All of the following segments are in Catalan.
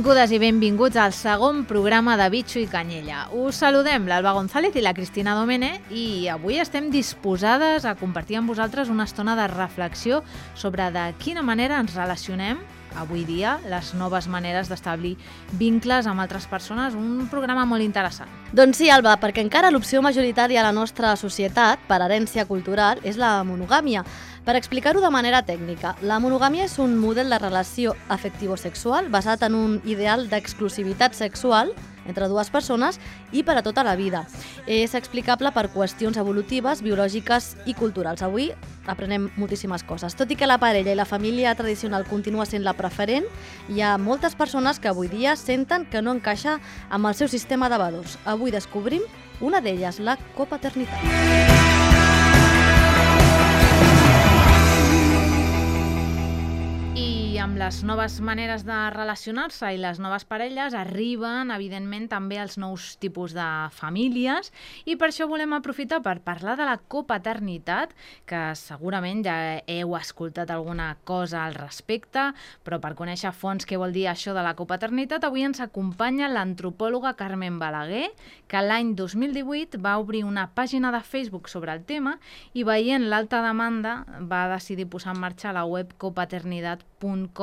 Benvingudes i benvinguts al segon programa de Bitxo i Canyella. Us saludem l'Alba González i la Cristina Domene i avui estem disposades a compartir amb vosaltres una estona de reflexió sobre de quina manera ens relacionem avui dia, les noves maneres d'establir vincles amb altres persones, un programa molt interessant. Doncs sí, Alba, perquè encara l'opció majoritària a la nostra societat, per herència cultural, és la monogàmia. Per explicar-ho de manera tècnica, la monogàmia és un model de relació afectivo-sexual basat en un ideal d'exclusivitat sexual entre dues persones i per a tota la vida. És explicable per qüestions evolutives, biològiques i culturals. Avui aprenem moltíssimes coses. Tot i que la parella i la família tradicional continua sent la preferent, hi ha moltes persones que avui dia senten que no encaixa amb el seu sistema de valors. Avui descobrim una d'elles, la copaternitat. Amb les noves maneres de relacionar-se i les noves parelles arriben, evidentment, també els nous tipus de famílies i per això volem aprofitar per parlar de la copaternitat, que segurament ja heu escoltat alguna cosa al respecte, però per conèixer a fons què vol dir això de la copaternitat, avui ens acompanya l'antropòloga Carmen Balaguer, que l'any 2018 va obrir una pàgina de Facebook sobre el tema i veient l'alta demanda va decidir posar en marxa la web copaternitat.com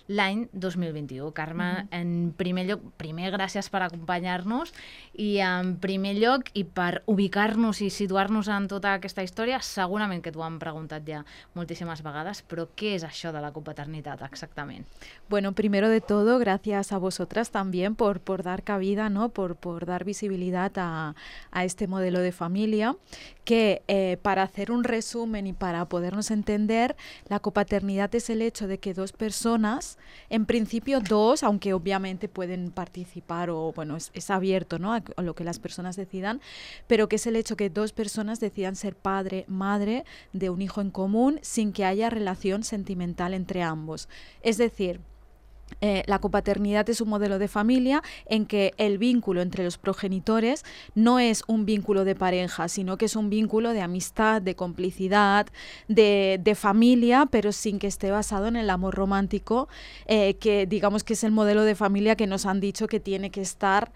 l'any 2021. Carme, en primer lloc, gràcies per acompanyar-nos i en primer lloc i per ubicar-nos i situar-nos en tota aquesta història, segurament que t'ho han preguntat ja moltíssimes vegades, però què és això de la copaternitat exactament? Bueno, primero de todo, gracias a vosotras también por dar cabida, ¿no? por dar visibilidad a este modelo de familia, que para hacer un resumen y para podernos entender, la copaternidad es el hecho de que dos personas, en principio dos, aunque obviamente pueden participar o bueno, es abierto, ¿no? a lo que las personas decidan, pero que es el hecho que dos personas decidan ser padre, madre de un hijo en común sin que haya relación sentimental entre ambos. Es decir, la copaternidad es un modelo de familia en que el vínculo entre los progenitores no es un vínculo de pareja, sino que es un vínculo de amistad, de complicidad, de familia, pero sin que esté basado en el amor romántico, que digamos que es el modelo de familia que nos han dicho que tiene que estar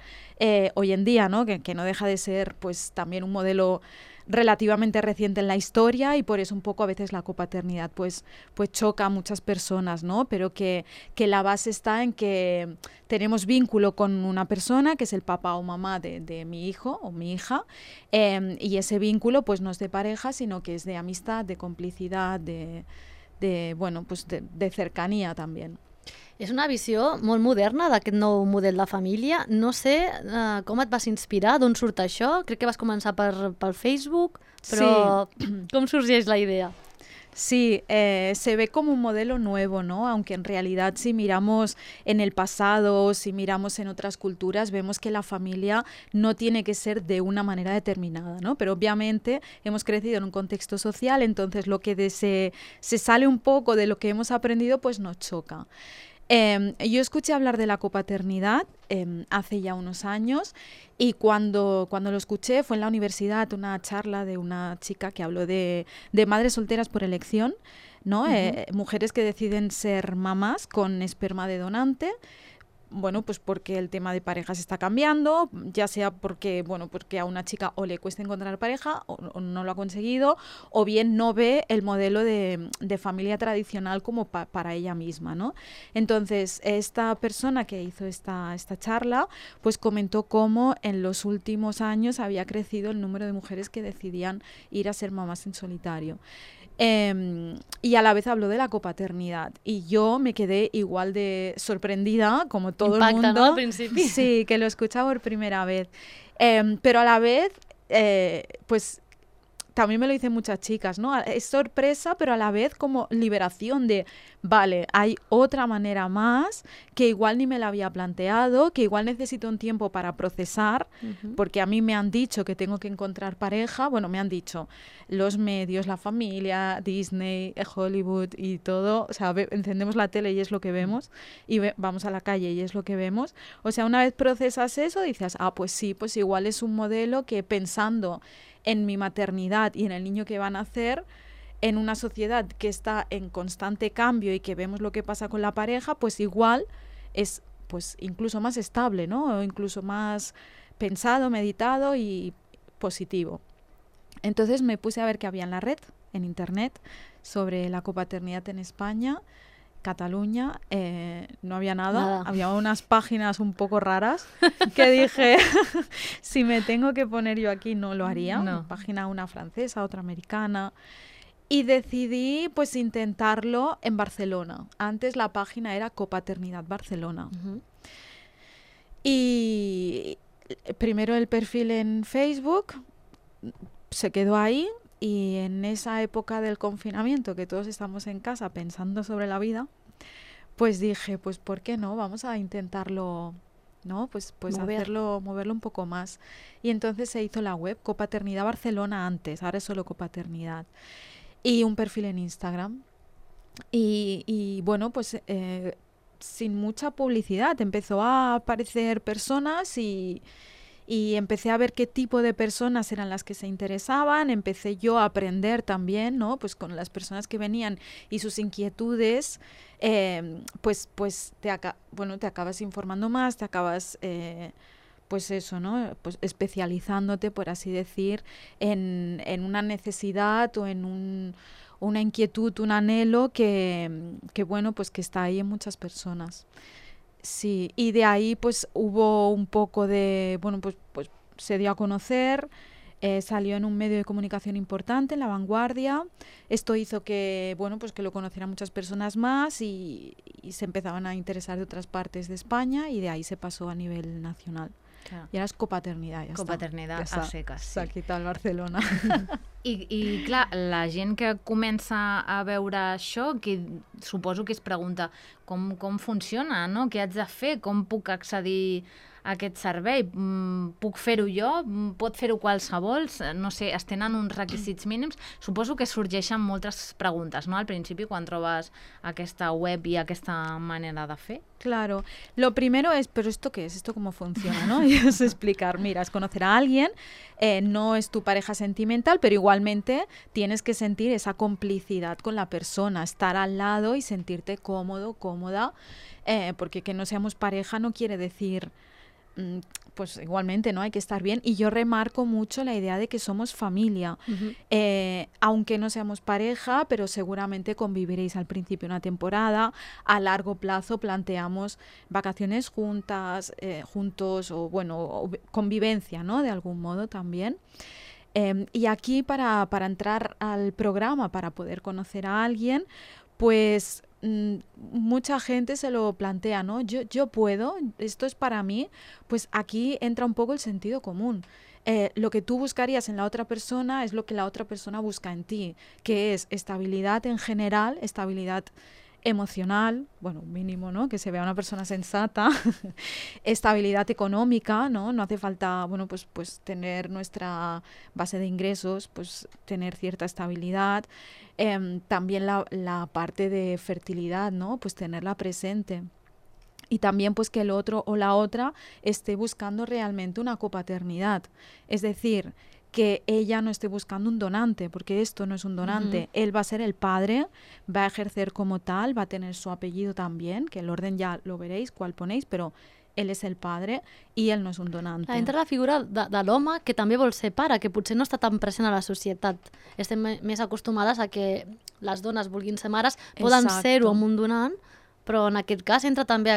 hoy en día, ¿no? Que no deja de ser pues también un modelo relativamente reciente en la historia y por eso un poco a veces la copaternidad pues choca a muchas personas, ¿no? Pero que la base está en que tenemos vínculo con una persona que es el papá o mamá de mi hijo o mi hija, y ese vínculo pues no es de pareja, sino que es de amistad, de complicidad, de cercanía también. És una visió molt moderna d'aquest nou model de família. No sé com et vas inspirar, d'on surt això? Crec que vas començar pel Facebook, però sí. Com sorgeix la idea? Sí, se ve como un modelo nuevo, ¿no? Aunque en realidad si miramos en el pasado, si miramos en otras culturas, vemos que la familia no tiene que ser de una manera determinada, ¿no? Pero obviamente hemos crecido en un contexto social, entonces lo que se sale un poco de lo que hemos aprendido, pues nos choca. Yo escuché hablar de la copaternidad hace ya unos años y cuando lo escuché fue en la universidad una charla de una chica que habló de madres solteras por elección, ¿no? Mujeres que deciden ser mamás con esperma de donante. Bueno, pues porque el tema de parejas está cambiando, ya sea porque a una chica o le cuesta encontrar pareja o no lo ha conseguido, o bien no ve el modelo de familia tradicional como para ella misma, ¿no? Entonces, esta persona que hizo esta charla, pues comentó cómo en los últimos años había crecido el número de mujeres que decidían ir a ser mamás en solitario. Y a la vez habló de la copaternidad y yo me quedé igual de sorprendida como todo el mundo, ¿no? Al principio. Sí, que lo escuchaba por primera vez, pero a la vez pues también me lo dicen muchas chicas, ¿no? Es sorpresa, pero a la vez como liberación de, vale, hay otra manera más que igual ni me la había planteado, que igual necesito un tiempo para procesar, porque a mí me han dicho que tengo que encontrar pareja, bueno, me han dicho los medios, la familia, Disney, Hollywood y todo, o sea, encendemos la tele y es lo que vemos, y vamos a la calle y es lo que vemos, o sea, una vez procesas eso, dices, pues sí, pues igual es un modelo que pensando en mi maternidad y en el niño que van a nacer, en una sociedad que está en constante cambio y que vemos lo que pasa con la pareja, pues igual es pues incluso más estable, ¿no? O incluso más pensado, meditado y positivo. Entonces me puse a ver qué había en la red, en internet, sobre la copaternidad en España, Cataluña. No había nada. Había unas páginas un poco raras que dije, si me tengo que poner yo aquí no lo haría. No. Página una francesa, otra americana. Y decidí pues intentarlo en Barcelona. Antes la página era Copaternidad Barcelona. Y primero el perfil en Facebook se quedó ahí, y en esa época del confinamiento que todos estamos en casa pensando sobre la vida, pues dije, pues ¿por qué no? Vamos a intentarlo, ¿no? Pues moverlo un poco más. Y entonces se hizo la web Copaternidad Barcelona antes, ahora es solo Copaternidad. Y un perfil en Instagram. Y bueno, pues sin mucha publicidad empezó a aparecer personas y empecé a ver qué tipo de personas eran las que se interesaban. Empecé yo a aprender también, ¿no? Pues con las personas que venían y sus inquietudes, pues te acabas informando más, te acabas, pues eso, ¿no? Pues especializándote, por así decir, en una necesidad o en una inquietud, un anhelo que bueno, pues que está ahí en muchas personas. Sí, y de ahí pues hubo un poco de, bueno, pues se dio a conocer, salió en un medio de comunicación importante, en La Vanguardia. Esto hizo que, bueno, pues que lo conocieran muchas personas más y se empezaban a interesar de otras partes de España, y de ahí se pasó a nivel nacional. Clar. I ara és copaternidad, ja Copaternidad està. a seques, sí. S'ha quitat el Barcelona. I clar, la gent que comença a veure això, que suposo que es pregunta com funciona, no? Què haig de fer? Com puc accedir a aquest servei? Puc fer-ho jo? Pot fer-ho qualsevol? No sé, es tenen uns requisits mínims? Suposo que sorgeixen moltes preguntes, no? Al principi, quan trobes aquesta web i aquesta manera de fer. Claro, lo primero es, ¿pero esto qué es? ¿Esto cómo funciona? ¿No? Y es explicar, mira, es conocer a alguien, no es tu pareja sentimental, pero igualmente tienes que sentir esa complicidad con la persona, estar al lado y sentirte cómodo, cómoda, porque que no seamos pareja no quiere decir, pues igualmente, ¿no? Hay que estar bien. Y yo remarco mucho la idea de que somos familia. Aunque no seamos pareja, pero seguramente conviviréis al principio una temporada. A largo plazo planteamos vacaciones juntas, juntos, o bueno, o convivencia, ¿no? De algún modo también. Y aquí para entrar al programa, para poder conocer a alguien, pues mucha gente se lo plantea, ¿no? Yo puedo, esto es para mí. Pues aquí entra un poco el sentido común. Lo que tú buscarías en la otra persona es lo que la otra persona busca en ti, que es estabilidad en general, estabilidad emocional, bueno, mínimo, ¿no? Que se vea una persona sensata, estabilidad económica, ¿no? No hace falta, bueno, pues tener nuestra base de ingresos, pues tener cierta estabilidad. También la parte de fertilidad, ¿no? Pues tenerla presente. Y también pues que el otro o la otra esté buscando realmente una copaternidad. Es decir, que ella no esté buscando un donante, porque esto no es un donante. Él va a ser el padre, va a ejercer como tal, va a tener su apellido también, que el orden ya lo veréis, cuál ponéis, però ell és el padre i ell no és un donante. Entra la figura de l'home que també vol ser pare, que potser no està tan present a la societat. Estem més acostumades a que les dones vulguin ser mares, poden ser-ho amb un donant, però en aquest cas entra també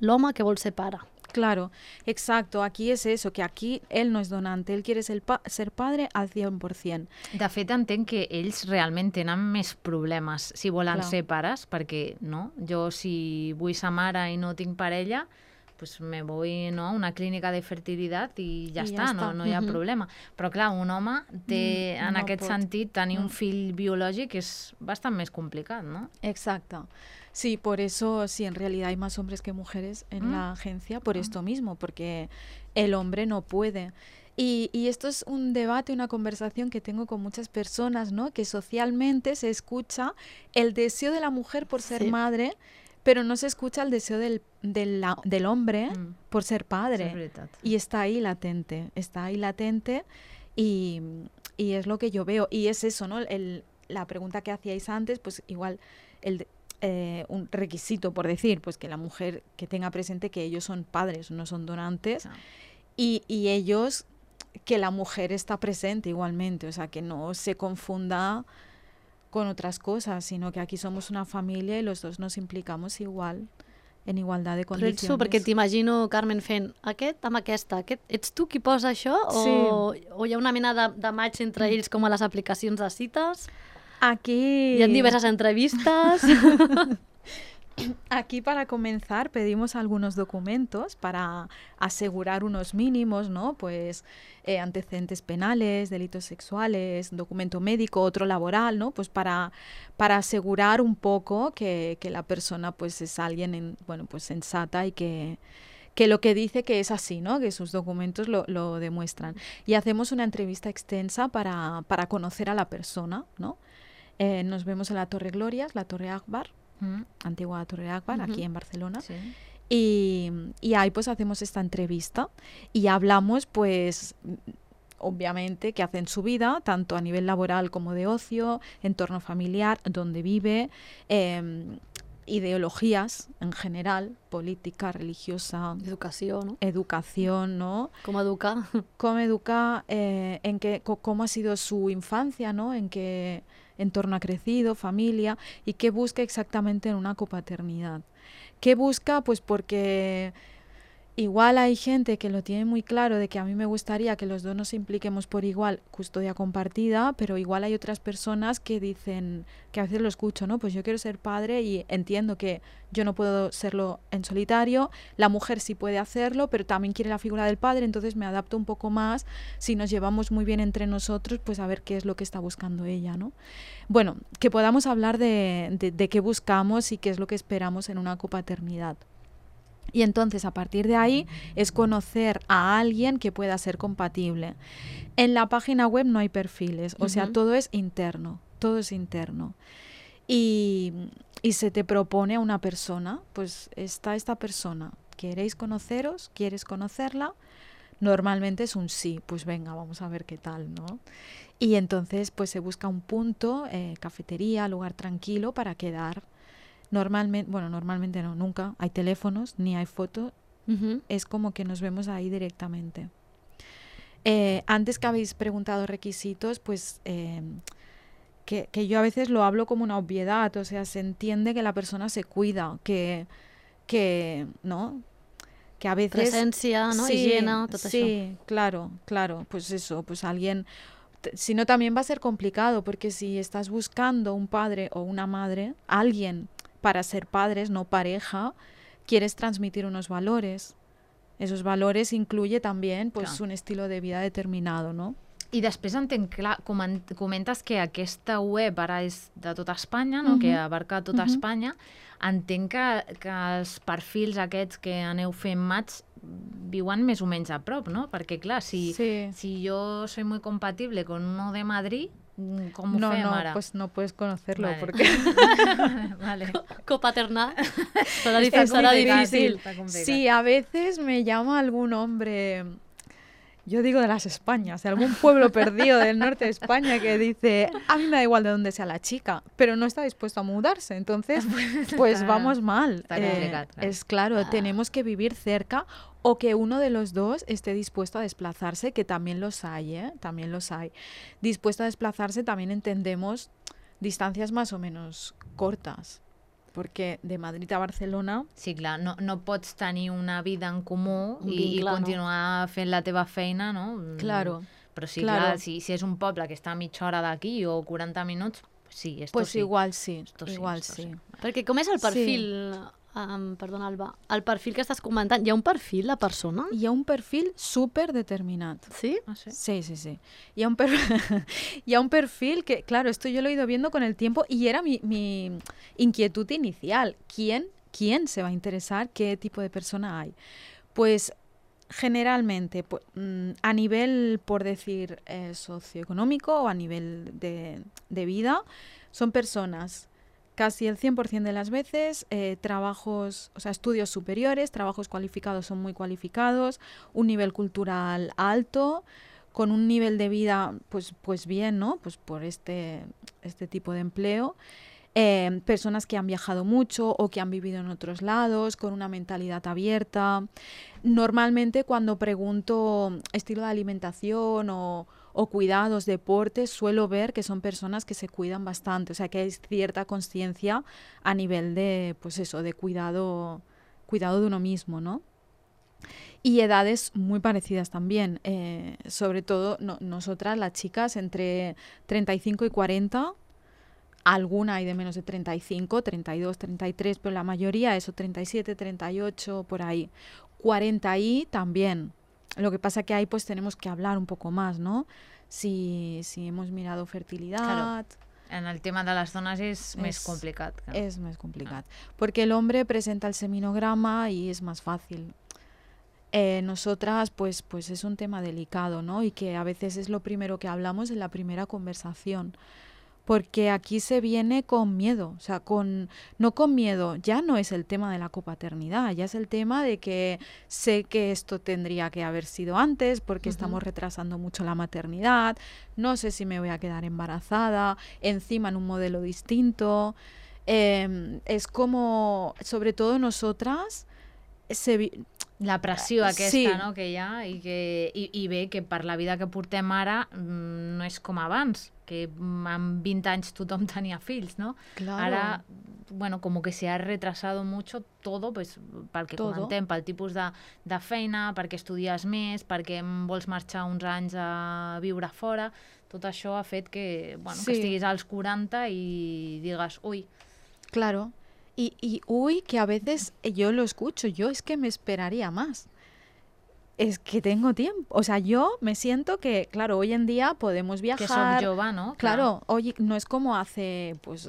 l'home que vol ser pare. Claro, exacto. Aquí es eso, que aquí él no es donante, él quiere ser padre al 100%. De fet, entenc que ells realment tenen més problemes si volen ser pares, perquè no, jo si vull ser mare i no tinc parella, pues me voy, ¿no?, a una clínica de fertilitat i ja està, no hi ha problema. Però clar, un home té, en aquest sentit, tenir un fill biològic és bastant més complicat, no? Exacto. Sí, por eso, sí, en realidad hay más hombres que mujeres en la agencia, por esto mismo, porque el hombre no puede. Y esto es un debate, una conversación que tengo con muchas personas, ¿no? Que socialmente se escucha el deseo de la mujer por ser madre, pero no se escucha el deseo del hombre por ser padre. Y está ahí latente y es lo que yo veo. Y es eso, ¿no? La pregunta que hacíais antes, pues igual un requisito, por decir, pues que la mujer que tenga presente que ellos son padres, no son donantes, y ellos, que la mujer está presente igualmente, o sea, que no se confunda con otras cosas, sino que aquí somos una familia y los dos nos implicamos igual, en igualdad de condicions. Però ets tu, perquè t'imagino, Carmen, fent aquest amb aquesta. Ets tu qui posa això? Sí. O hi ha una mena de match entre ells com a les aplicacions de cites? Aquí... Hi ha diverses entrevistas. Aquí, para comenzar, pedimos algunos documentos para asegurar unos mínimos, ¿no? Pues antecedentes penales, delitos sexuales, documento médico, otro laboral, ¿no? Pues para asegurar un poco que la persona pues es alguien pues sensata y que lo que dice que es así, ¿no? Que sus documentos lo demuestran. Y hacemos una entrevista extensa para conocer a la persona, ¿no? Nos vemos en la Torre Glorias, la Torre Akbar, antigua Torre Akbar, aquí en Barcelona. Sí. Y ahí pues hacemos esta entrevista y hablamos pues obviamente qué hace en su vida, tanto a nivel laboral como de ocio, entorno familiar, dónde vive, ideologías en general, política, religiosa, educación, ¿no? ¿Cómo educa? Cómo educa, cómo ha sido su infancia, ¿no? En qué entorno ha crecido, familia, y qué busca exactamente en una copaternidad. ¿Qué busca? Pues porque igual hay gente que lo tiene muy claro de que a mí me gustaría que los dos nos impliquemos por igual, custodia compartida, pero igual hay otras personas que dicen, que a veces lo escucho, ¿no? Pues yo quiero ser padre y entiendo que yo no puedo serlo en solitario, la mujer sí puede hacerlo, pero también quiere la figura del padre, entonces me adapto un poco más, si nos llevamos muy bien entre nosotros, pues a ver qué es lo que está buscando ella, ¿no? Bueno, que podamos hablar de qué buscamos y qué es lo que esperamos en una copaternidad. Y entonces, a partir de ahí, es conocer a alguien que pueda ser compatible. En la página web no hay perfiles, o sea, todo es interno, todo es interno. Y se te propone a una persona, pues está esta persona, ¿queréis conoceros? ¿Quieres conocerla? Normalmente es un sí, pues venga, vamos a ver qué tal, ¿no? Y entonces, pues se busca un punto, cafetería, lugar tranquilo para quedar. Normalmente no, nunca hay teléfonos ni hay fotos, es como que nos vemos ahí directamente. Antes que habéis preguntado requisitos, pues que yo a veces lo hablo como una obviedad, o sea, se entiende que la persona se cuida, que ¿no? Que a veces... Presencia, ¿no? Sí, higiene, todo sí, eso. claro, pues eso, pues alguien... Si no, también va a ser complicado, porque si estás buscando un padre o una madre, alguien para ser padres, no pareja, quieres transmitir unos valores. Esos valores incluye también pues, un estilo de vida determinado, no? I després entenc, clar, comentes que aquesta web ara és de tota Espanya, no? Que abarca tota Espanya. Entenc que els perfils aquests que aneu fent match viuen més o menys a prop, no? Perquè, clar, si yo soy muy compatible con uno de Madrid, ¿cómo fem ara? No, pues no puedes conocerlo, vale. Porque... vale. Copaternar será difícil. Sí, a veces me llama algún hombre... Yo digo de las Españas, de algún pueblo perdido del norte de España que dice, a mí me da igual de dónde sea la chica, pero no está dispuesto a mudarse, entonces pues vamos mal. Es claro, tenemos que vivir cerca o que uno de los dos esté dispuesto a desplazarse, que también los hay, también los hay. Dispuesto a desplazarse también entendemos distancias más o menos cortas. Perquè de Madrid a Barcelona... Sí, clar, no pots tenir una vida en comú i continuar fent la teva feina, no? Claro. Però sí, clar, si és un poble que està a mitja hora d'aquí o 40 minuts, sí, esto pues sí. Igual sí, igual sí. Perquè com és el perfil... perdona, Alba, el perfil que estàs comentant, hi ha un perfil de persona? Hi ha un perfil súper determinat. ¿Sí? ¿Ah, sí? Sí. Y hay un perfil que, claro, esto yo lo he ido viendo con el tiempo y era mi inquietud inicial. ¿Quién se va a interesar? ¿Qué tipo de persona hay? Pues generalmente, a nivel, por decir, socioeconómico o a nivel de vida, son personas... Casi el 100% de las veces, trabajos, o sea, estudios superiores, trabajos cualificados son muy cualificados, un nivel cultural alto, con un nivel de vida, pues bien, ¿no? Pues por este tipo de empleo. personas que han viajado mucho o que han vivido en otros lados, con una mentalidad abierta. Normalmente cuando pregunto estilo de alimentación o cuidados, deportes, suelo ver que son personas que se cuidan bastante, o sea que hay cierta conciencia a nivel de, pues eso, de cuidado de uno mismo, ¿no? Y edades muy parecidas también, sobre todo nosotras, las chicas, entre 35 y 40, alguna hay de menos de 35, 32, 33, pero la mayoría eso, 37, 38, por ahí. 40 y también. Lo que pasa que ahí pues tenemos que hablar un poco más, ¿no? Si hemos mirado fertilidad... Claro. En el tema de les dones és més complicat. Clar. És més complicat. Porque el hombre presenta el seminograma y es más fácil. Nosotras pues es un tema delicado, ¿no? Y que a veces es lo primero que hablamos en la primera conversación. Porque aquí se viene con miedo, o sea, no con miedo, ya no es el tema de la copaternidad, ya es el tema de que sé que esto tendría que haber sido antes porque estamos retrasando mucho la maternidad, no sé si me voy a quedar embarazada, encima en un modelo distinto. Es como, sobre todo nosotras, la pressió aquesta, sí, no, que hi ha i bé, que per la vida que portem ara no és com abans, que amb 20 anys tothom tenia fills, ¿no? Claro. Ara, bueno, como que se ha retrasado mucho todo, pues, pel que comentem, pel tipus de feina, perquè estudies més, perquè vols marxar uns anys a viure fora, tot això ha fet que, bueno, que estiguis als 40 i digues, ui. Claro. Y uy, que a veces yo lo escucho, yo es que me esperaría más. Es que tengo tiempo. O sea, yo me siento que, claro, hoy en día podemos viajar. Que soc jove, ¿no? Claro, oye, no es como hace, pues,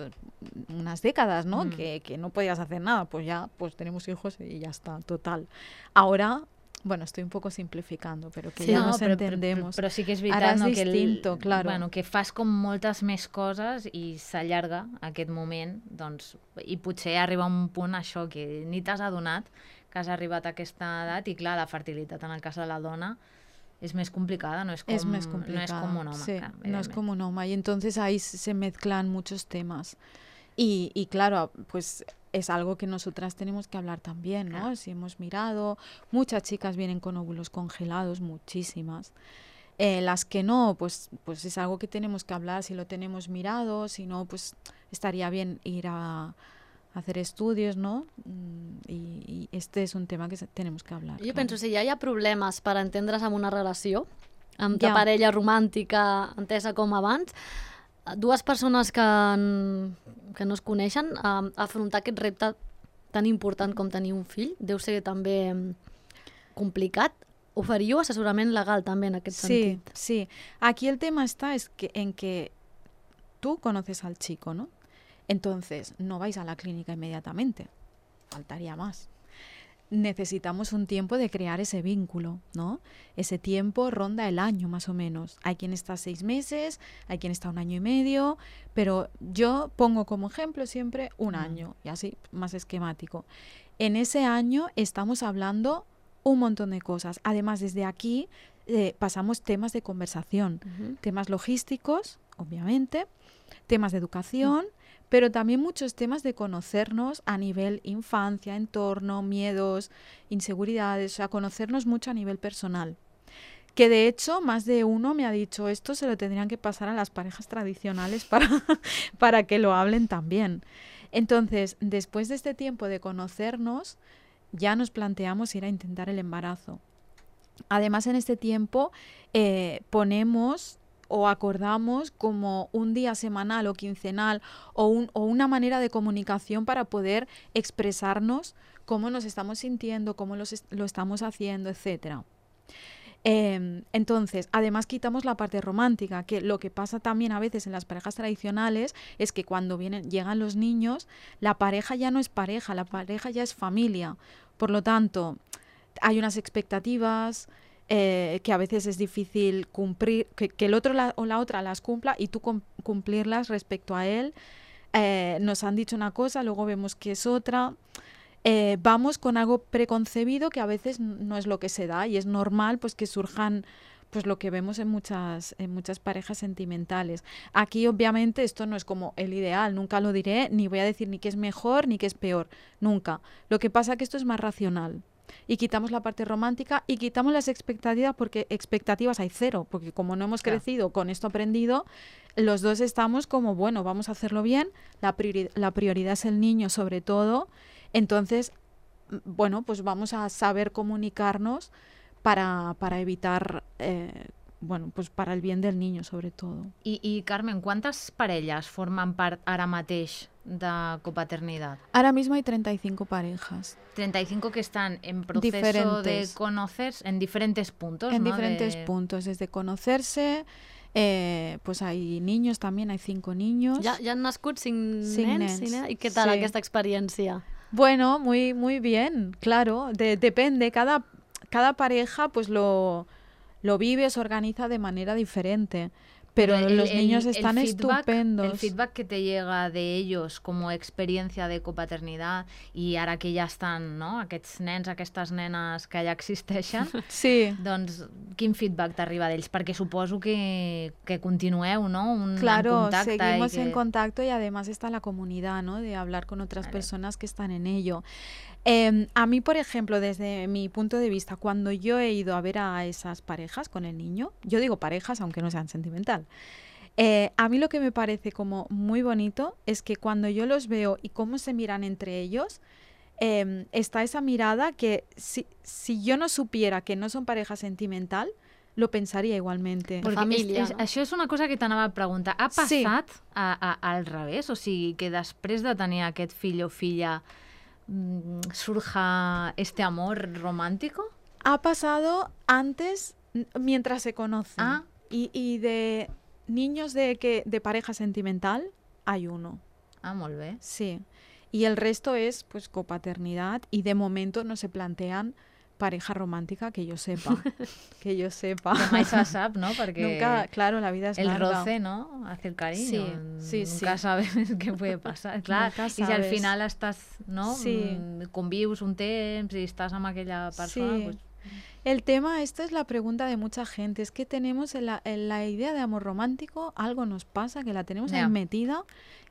unas décadas, ¿no? Que no podías hacer nada. Pues ya, pues tenemos hijos y ya está, total. Ahora, bueno, estoy un poco simplificando, pero que ja nos entendemos. Però sí que és veritat, no, distinto, claro. Bueno, que fas com moltes més coses i s'allarga aquest moment, doncs, i potser arriba un punt això que ni t'has adonat que has arribat a aquesta edat i clar, la fertilitat en el cas de la dona es més complicada, no és com un home. Sí, clar, no es como un hombre, y entonces ahí se mezclan muchos temas. Y claro, pues es algo que nosotras tenemos que hablar también, ¿no? Claro. Si hemos mirado, muchas chicas vienen con óvulos congelados, muchísimas. Las que no, pues es algo que tenemos que hablar, si lo tenemos mirado, si no, pues estaría bien ir a hacer estudios, ¿no? I este és un tema que tenemos que hablar. Jo penso, si ja hi ha problemes per entendre's amb una relació, amb ta parella romàntica entesa com abans, dues persones que no es coneixen, afrontar aquest repte tan important com tenir un fill deu ser també complicat. Oferiu assessorament legal també en aquest sentit. Sí. Aquí el tema está en que tú conoces al chico, ¿no? Entonces, no vais a la clínica inmediatamente. Faltaría más. Necesitamos un tiempo de crear ese vínculo, ¿no? Ese tiempo ronda el año más o menos. Hay quien está 6 meses, hay quien está 1 año y medio, pero yo pongo como ejemplo siempre 1 año, y así más esquemático. En ese año estamos hablando un montón de cosas. Además, desde aquí pasamos temas de conversación, temas logísticos, obviamente, temas de educación, pero también muchos temas de conocernos a nivel infancia, entorno, miedos, inseguridades, o sea, conocernos mucho a nivel personal. Que de hecho, más de uno me ha dicho, esto se lo tendrían que pasar a las parejas tradicionales para que lo hablen también. Entonces, después de este tiempo de conocernos, ya nos planteamos ir a intentar el embarazo. Además, en este tiempo ponemos o acordamos como un día semanal o quincenal o una manera de comunicación para poder expresarnos cómo nos estamos sintiendo, cómo lo estamos haciendo, etc. Entonces, además quitamos la parte romántica, que lo que pasa también a veces en las parejas tradicionales es que cuando llegan los niños, la pareja ya no es pareja, la pareja ya es familia. Por lo tanto, hay unas expectativas que a veces es difícil cumplir, que el otro o la otra las cumpla y tú cumplirlas respecto a él. Nos han dicho una cosa, luego vemos que es otra. Vamos con algo preconcebido que a veces no es lo que se da y es normal pues que surjan pues lo que vemos en muchas parejas sentimentales. Aquí obviamente esto no es como el ideal, nunca lo diré, ni voy a decir ni que es mejor ni que es peor, nunca. Lo que pasa es que esto es más racional. Y quitamos la parte romántica y quitamos las expectativas, porque expectativas hay cero, porque como no hemos crecido con esto aprendido, los dos estamos como, bueno, vamos a hacerlo bien, la prioridad es el niño sobre todo, entonces, bueno, pues vamos a saber comunicarnos para evitar, bueno, pues para el bien del niño sobre todo. I Carmen, quantes parelles formen part ara mateix de copaternitat? Ahora mismo hay 35 parejas. 35 que están en proceso Diferentes. de conocerse en diferentes puntos, En ¿no? diferentes puntos, desde conocerse, pues hay niños también, hay 5 niños. Ja han nascut 5 5 nens? nens. I què tal Sí. aquesta experiència? Bueno, muy bien, claro. Depende, cada pareja pues lo vive, se organiza de manera diferente. Pero los niños están estupendos. El feedback que te llega de ellos como experiencia de copaternidad i ara que ja estan, no?, aquests nens, aquestes nenes que ja existeixen, Sí. doncs quin feedback t'arriba d'ells? Perquè suposo que continueu, no?, Claro, en contacte. seguimos en contacto y además está la comunidad, ¿no? De hablar con otras personas que están en ello. A mí, por ejemplo, desde mi punto de vista, cuando yo he ido a ver a esas parejas con el niño, yo digo parejas aunque no sean sentimental, a mí lo que me parece como muy bonito es que cuando yo los veo y cómo se miran entre ellos, está esa mirada que si yo no supiera que no son pareja sentimental, lo pensaria igualmente. Perquè família, no? Això és una cosa que t'anava a preguntar. Ha passat al revés? O sigui, que després de tenir aquest fill o filla surja este amor romántico? Ha pasado antes, mientras se conocen. Ah. Y de niños de pareja sentimental hay uno. Ah, molt bé. Sí. Y el resto es pues copaternidad y de momento no se plantean pareja romántica que yo sepa. Que yo sepa. Que mai se sap, ¿no? Perquè Nunca, claro, la vida es el larga. roce, ¿no?, hace el cariño. Sí, Nunca sabes qué puede pasar. Clar, Nunca i si al sabes. final estàs, no?, Sí. convius un temps i estàs amb aquella persona, Sí. pues, El tema, esta es la pregunta de mucha gente, es que tenemos en la idea de amor romántico, algo nos pasa, que la tenemos ahí Ya. metida,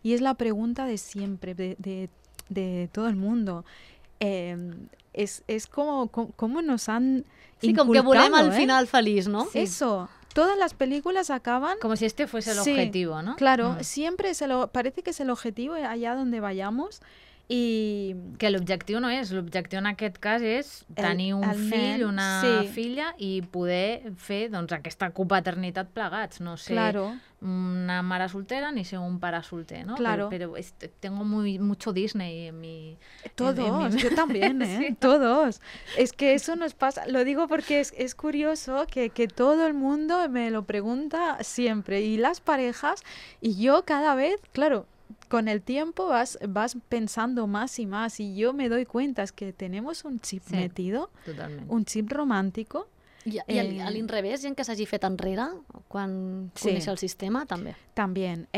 y es la pregunta de siempre, de todo el mundo. Es como nos han Sí, com que volem inculcado, al final feliç, no? Eso, todas las películas acaban... como si este fuese el Sí, objetivo, ¿no? Claro, siempre parece que es el objetivo allá donde vayamos, y... Que l'objectiu no és, l'objectiu en aquest cas és tenir un el fill, nen, una sí. filla i poder fer doncs, aquesta copaternitat plegats, no ser Claro. una mare soltera ni ser un pare solter, ¿no? Claro. Pero tengo mucho Disney en mi... Todos, yo también, ¿eh? Sí. Todos. Es que eso nos pasa, lo digo porque es curioso que todo el mundo me lo pregunta siempre, y las parejas, y yo cada vez, claro, con el tiempo vas pensando más y más, y yo me doy cuenta es que tenemos un chip Sí. metido, Totalment. un chip romántico. I a l'inrevés, gent que s'hagi fet enrere quan Sí. coneix el sistema, també. También,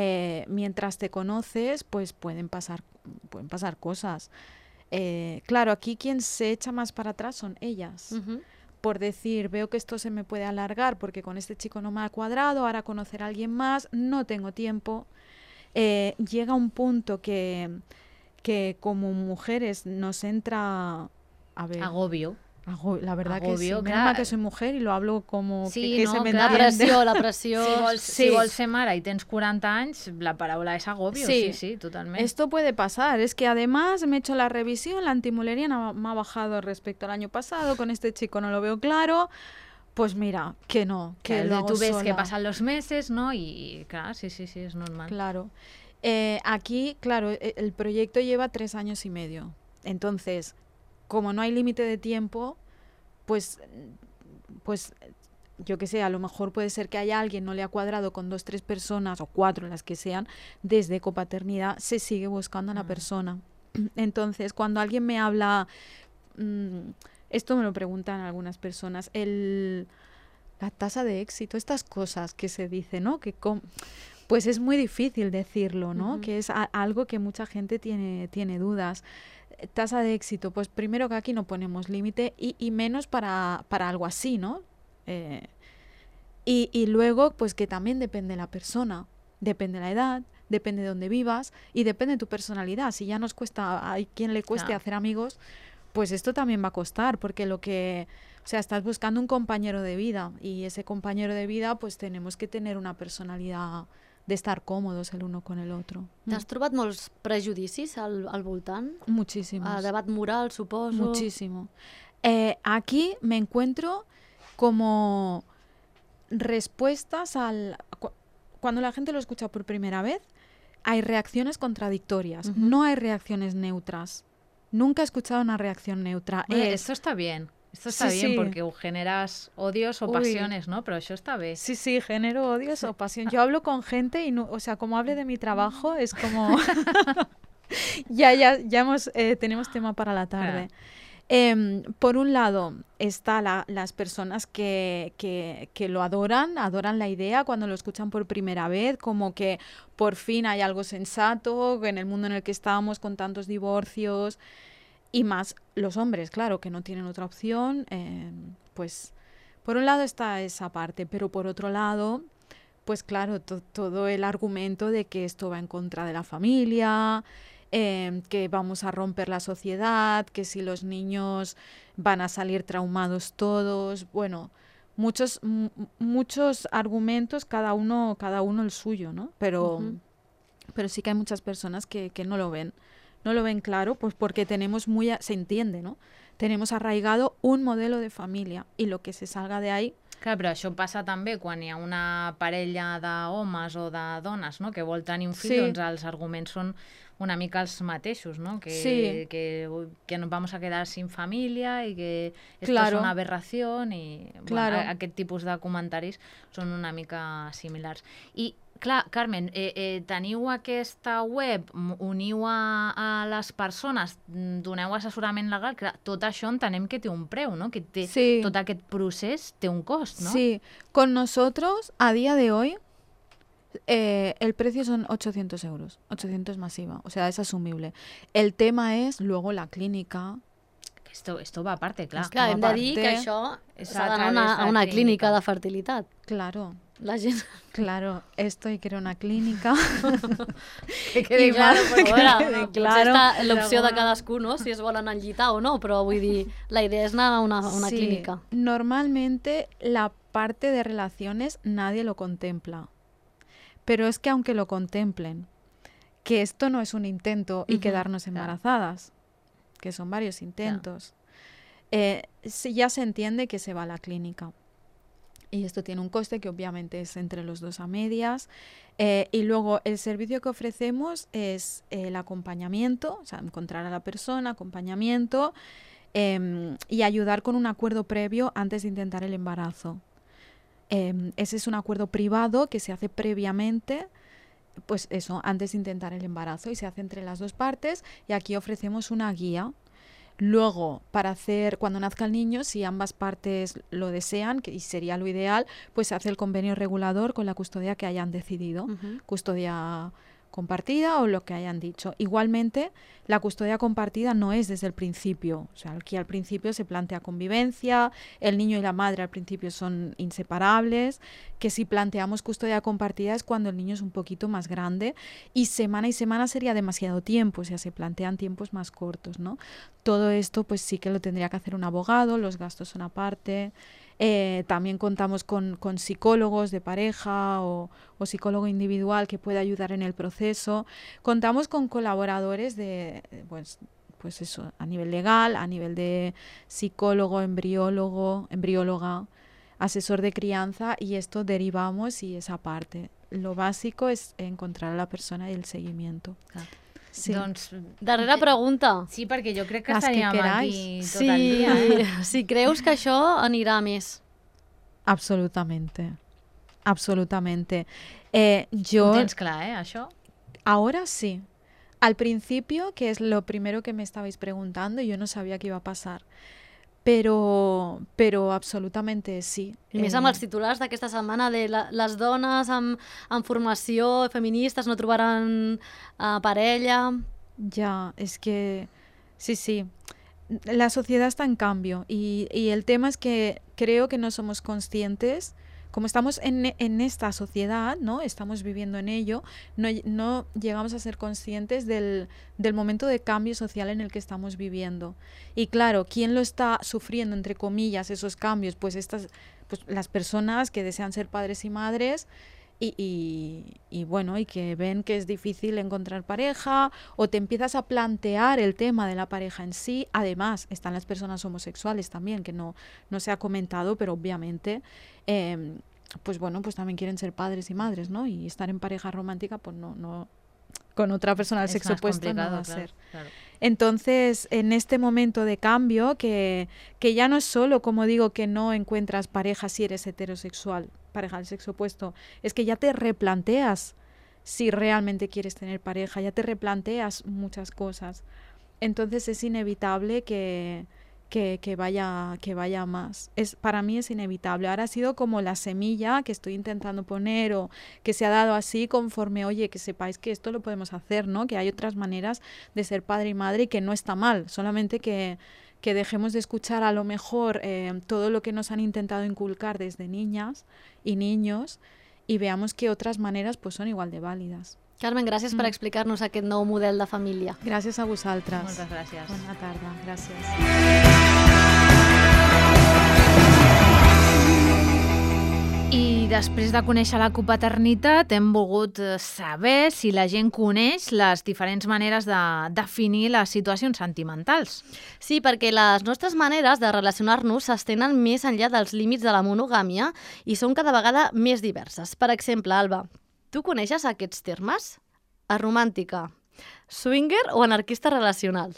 mientras te conoces, pues pueden pasar cosas. Claro, aquí quien se echa más para atrás son ellas. Por decir, veo que esto se me puede alargar porque con este chico no me ha cuadrado, ahora conocer a alguien más, no tengo tiempo. Llega un punto que como mujeres nos entra... A ver, Agobio. la verdad que sí. Agobio, Menos clar. mal que soy mujer y lo hablo como Sí, que no, se me clar. entiende. La pressió... Si vols ser mare i tens 40 anys, la paraula és agobio, sí, totalment. Esto puede pasar. Es que además me he hecho la revisión, la antimulería me ha bajado respecto al año pasado, con este chico no lo veo claro. Pues mira, que no, que Claro, lo hago tú ves sola. que pasan los meses, ¿no? Y claro, sí, es normal. Claro. Aquí, claro, el proyecto lleva 3 años y medio. Entonces, como no hay límite de tiempo, pues yo qué sé, a lo mejor puede ser que haya alguien no le ha cuadrado con 2, 3 personas o 4, las que sean, desde copaternidad se sigue buscando a la persona. Entonces, cuando alguien me habla, esto me lo preguntan algunas personas, la tasa de éxito, estas cosas que se dice, ¿no? Pues es muy difícil decirlo, ¿no? Que es algo que mucha gente tiene dudas. Tasa de éxito, pues primero que aquí no ponemos límite y menos para algo así, ¿no? Y luego, pues que también depende de la persona, depende de la edad, depende de dónde vivas y depende de tu personalidad. Si ya nos cuesta, hay quien le cueste hacer amigos, pues esto también va a costar, porque o sea, estás buscando un compañero de vida y ese compañero de vida, pues tenemos que tener una personalidad de estar cómodos el uno con el otro. T'has trobat molts prejudicis al voltant? Muchísimos. Debat moral, suposo. Muchísimo. Aquí me encuentro como respuestas cuando la gente lo escucha por primera vez, hay reacciones contradictorias, no hay reacciones neutras. Nunca he escuchado una reacción neutra. Bueno, esto está bien. Esto está bien porque generas odios o pasiones, ¿no? Pero eso está bien. Sí, genero odios o pasión. Yo hablo con gente y, o sea, como hable de mi trabajo, es como... ya tenemos tema para la tarde. Por un lado está las personas que lo adoran la idea cuando lo escuchan por primera vez, como que por fin hay algo sensato en el mundo en el que estamos con tantos divorcios y más los hombres, claro, que no tienen otra opción. Pues por un lado está esa parte, pero por otro lado, pues claro, todo el argumento de que esto va en contra de la familia, que vamos a romper la sociedad, que si los niños van a salir traumados todos, bueno, muchos argumentos, cada uno el suyo, ¿no? Pero sí que hay muchas personas que no lo ven claro, pues porque tenemos se entiende, ¿no? Tenemos arraigado un modelo de família i lo que se salga de ahí. Clar, però això passa també quan hi ha una parella d'homes o de dones, no?, que vol tenir un fill, doncs els arguments són una mica els mateixos, ¿no? Que nos vamos a quedar sin familia y que esto es una aberración y bueno, aquest tipus de comentaris són una mica similars. I clar, Carmen, teniu aquesta web, uniu a les persones, doneu assessorament legal, clar, tot això entenem que té un preu, no? Que tot aquest procés té un cost, ¿no? Sí, con nosotros a día de hoy el precio son 800 euros, 800 masiva, o sea, es asumible. El tema es luego la clínica. Esto va aparte, clar. Clar, hem de dir que això s'ha d'anar a una clínica de fertilitat. Claro. La gent... Claro, esto hay que ir a una clínica. Que quedi clar, però potser està l'opció de cadascú, no? Si es volen enllitar o no, però vull dir, la idea és anar a una clínica. Normalmente la parte de relaciones nadie lo contempla. Pero es que aunque lo contemplen, que esto no es un intento y quedarnos embarazadas, que son varios intentos, ya se entiende que se va a la clínica. Y esto tiene un coste que obviamente es entre los dos a medias. Y luego el servicio que ofrecemos es el acompañamiento, o sea, encontrar a la persona, acompañamiento y ayudar con un acuerdo previo antes de intentar el embarazo. Ese es un acuerdo privado que se hace previamente, pues eso, antes de intentar el embarazo y se hace entre las dos partes y aquí ofrecemos una guía. Luego, para hacer, cuando nazca el niño, si ambas partes lo desean, y sería lo ideal, pues se hace el convenio regulador con la custodia que hayan decidido, custodia compartida o lo que hayan dicho. Igualmente, la custodia compartida no es desde el principio. O sea, aquí al principio se plantea convivencia, el niño y la madre al principio son inseparables, que si planteamos custodia compartida es cuando el niño es un poquito más grande y semana sería demasiado tiempo, o sea, se plantean tiempos más cortos, ¿no? Todo esto pues sí que lo tendría que hacer un abogado, los gastos son aparte. También contamos con psicólogos de pareja o psicólogo individual que puede ayudar en el proceso. Contamos con colaboradores pues eso, a nivel legal, a nivel de psicólogo, embrióloga, asesor de crianza y esto derivamos y esa parte. Lo básico es encontrar a la persona y el seguimiento. Sí. Doncs, darrera pregunta. Sí, perquè jo crec que estaríem aquí tot el dia. Si creus que això anirà més. Absolutamente. Absolutamente. Ho tens clar, això? Ahora sí. Al principio, que es lo primero que me estabais preguntando, yo no sabía qué iba a pasar. Pero absolutamente sí. I més amb els titulars d'aquesta setmana de les dones amb formació feministes no trobaran parella. Ya, es que sí. La sociedad está en cambio y el tema es que creo que no somos conscientes como estamos en esta sociedad, ¿no? Estamos viviendo en ello, no llegamos a ser conscientes del momento de cambio social en el que estamos viviendo. Y claro, ¿quién lo está sufriendo, entre comillas, esos cambios? Pues las personas que desean ser padres y madres y bueno, y que ven que es difícil encontrar pareja, o te empiezas a plantear el tema de la pareja en sí. Además, están las personas homosexuales también, que no se ha comentado, pero obviamente pues bueno, pues también quieren ser padres y madres, ¿no? Y estar en pareja romántica, pues no con otra persona del sexo opuesto no va a ser. Claro. Entonces, en este momento de cambio, que ya no es solo, como digo, que no encuentras pareja si eres heterosexual, pareja del sexo opuesto, es que ya te replanteas si realmente quieres tener pareja, ya te replanteas muchas cosas. Entonces es inevitable que vaya más. Para mí es inevitable. Ahora ha sido como la semilla que estoy intentando poner, o que se ha dado así conforme, oye, que sepáis que esto lo podemos hacer, ¿no? Que hay otras maneras de ser padre y madre y que no está mal, solamente que dejemos de escuchar a lo mejor todo lo que nos han intentado inculcar desde niñas y niños, y veamos que otras maneras pues son igual de válides. Carmen, gràcies per explicar-nos aquest nou model de família. Gràcies a vosaltres. Moltes gràcies. Bona tarda, gràcies. I després de conèixer la copaternitat hem volgut saber si la gent coneix les diferents maneres de definir les situacions sentimentals. Sí, perquè les nostres maneres de relacionar-nos s'estenen més enllà dels límits de la monogàmia i són cada vegada més diverses. Per exemple, Alba, tu coneixes aquests termes? Aromàntica, swinger o anarquista relacional?